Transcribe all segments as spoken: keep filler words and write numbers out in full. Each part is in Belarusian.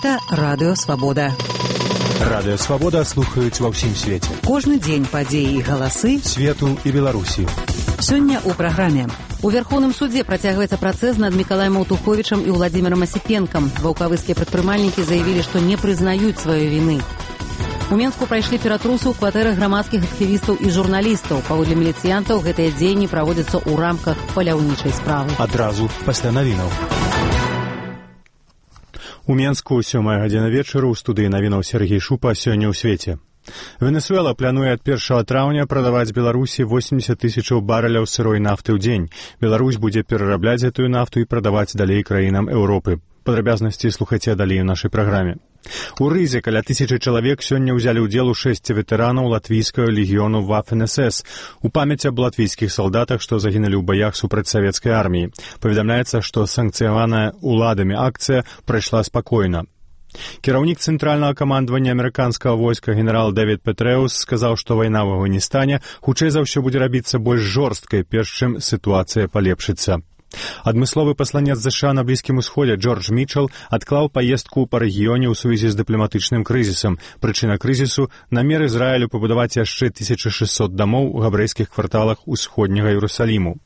Гэта Радыё Свабода. Радыё Свабода слухаюць ва ўсім свеце. Кожны дзень падзеі і галасы свету і Беларусі. Сёння ў праграме. У Верховным судзе працягваецца працэс над Мікалаем Аўтуховічам і Владзімірам Асіпенкам. Ваўкавыскія прадпрымальнікі заявілі, што не прызнаюць сваёй віны. У Менску прайшлі ператрусы ў кватэрах грамадскіх актывістаў і журналістаў. Паводле міліцыянтаў гэтыя дзеянні праводзяцца ў рамках паляўнічай справы. Адразу пасля навінаў. У Менску сёмая гадзіна вечара ў студыі навінаў Сергей Шупа сёння ў свеце. Венесуэла плануе ад першага траўня прадаваць Беларусі восемьдесят тысячаў барэляў сырой нафты ў дзень. Беларусь будзе перарабляць гэтую нафту і прадаваць далей краінам Еўропы. Падрабязнасці слухайце далей у нашай праграме. У Рызе каля тысячы чалавек сёння ўзялі ўдзел у шэсці ветэранаў латвійскага легіёну Waffen эс эс у памяць аб латвійскіх салдатах, што загінулі ў баях супраць савецкай арміі. Паведамляецца, што санкцыяваная уладамі акцыя прайшла спакойна. Кіраўнік цэнтральнага камандавання амерыканскага войска генерал Дэвід Петрэус сказаў, што вайна ў Афганістане хутчэй за ўсё будзе рабіцца больш жорсткай, перш чым сітуацыя палепшыцца. Адмысловы пасланец ЗША на Блізкім Усходзе Джордж Мітчел адклаў паездку па рэгіёне ў сувязі з дыпламатычным крызісам. Прычына крызісу – намер Ізраілю пабудаваць яшчэ тысяча шэсцьсот дамоў у габрэйскіх кварталах усходняга Іерусаліму.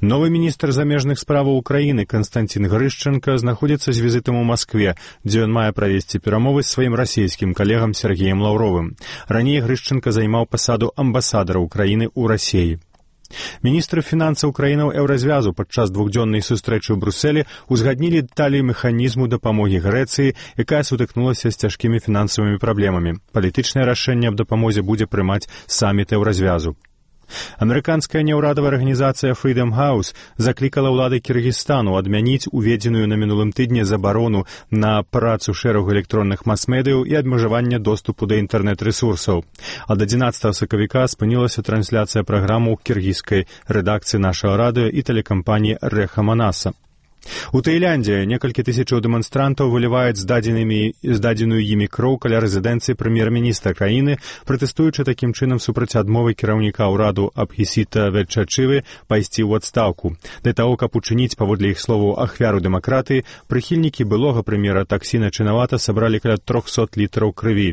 Новы міністр замежных справаў Украіны Канстанцін Грышчанка знаходзіцца з візітам у Маскве, дзе ён мае правесці перамовы з сваім расійскім калегам Сергеем Лаўровым. Раней Грышчанка займаў пасаду амбасадара Украіны ў Расіі. Міністры фінансаў краінаў Еўразвязу падчас двухдзённай сустрэчы ў Брусэлі узгаднілі дэталі механізму дапамогі Грэцыі, якая сутыкнулася з цяжкімі фінансавымі праблемамі. Палітычнае рашэнне аб дапамозе будзе прымаць саміт Еўразвязу. Амерыканская няўрадавая арганізацыя Freedom House заклікала ўлады Кіргізстану адмяніць уведзеную на мінулым тыдні забарону на працу шэрагу электронных мас-медыяў і абмежаванне доступу да інтэрнэт-рэсурсаў. Ад адзінаццатага сакавіка спынілася трансляцыя праграмы ў кіргізскай рэдакцыі нашага радыё і тэлекампаніі Рэха Манаса. У Таіландзе некалькі тысячаў дэманстрантаў выліваюць здадзеную імі кроў каля рэзідэнцыі прэм'ер-міністра краіны, пратэстуючы такім чынам супраць адмовы кіраўніка ўраду Абхісіта Ветчачывы пайсці ў адстаўку. Для таго, каб учыніць, паводле іх словаў, ахвяру дэмакратыі, прыхільнікі былога прэм'ера Таксіна Чынавата сабралі каля трохсот літраў крыві.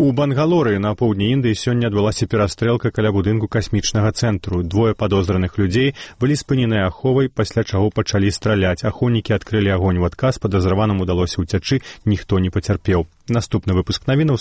У Бангалоры на поўдні Індыі сёння адбылася перастрэлка каля будынку касмічнага цэнтру. Двое падозраных людзей былі спыненыя аховай, пасля чаго пачалі страляць. Ахоўнікі адкрылі агонь у адказ, падазраваным удалося ўцячы, ніхто не пацярпеў. Наступны выпуск навінаў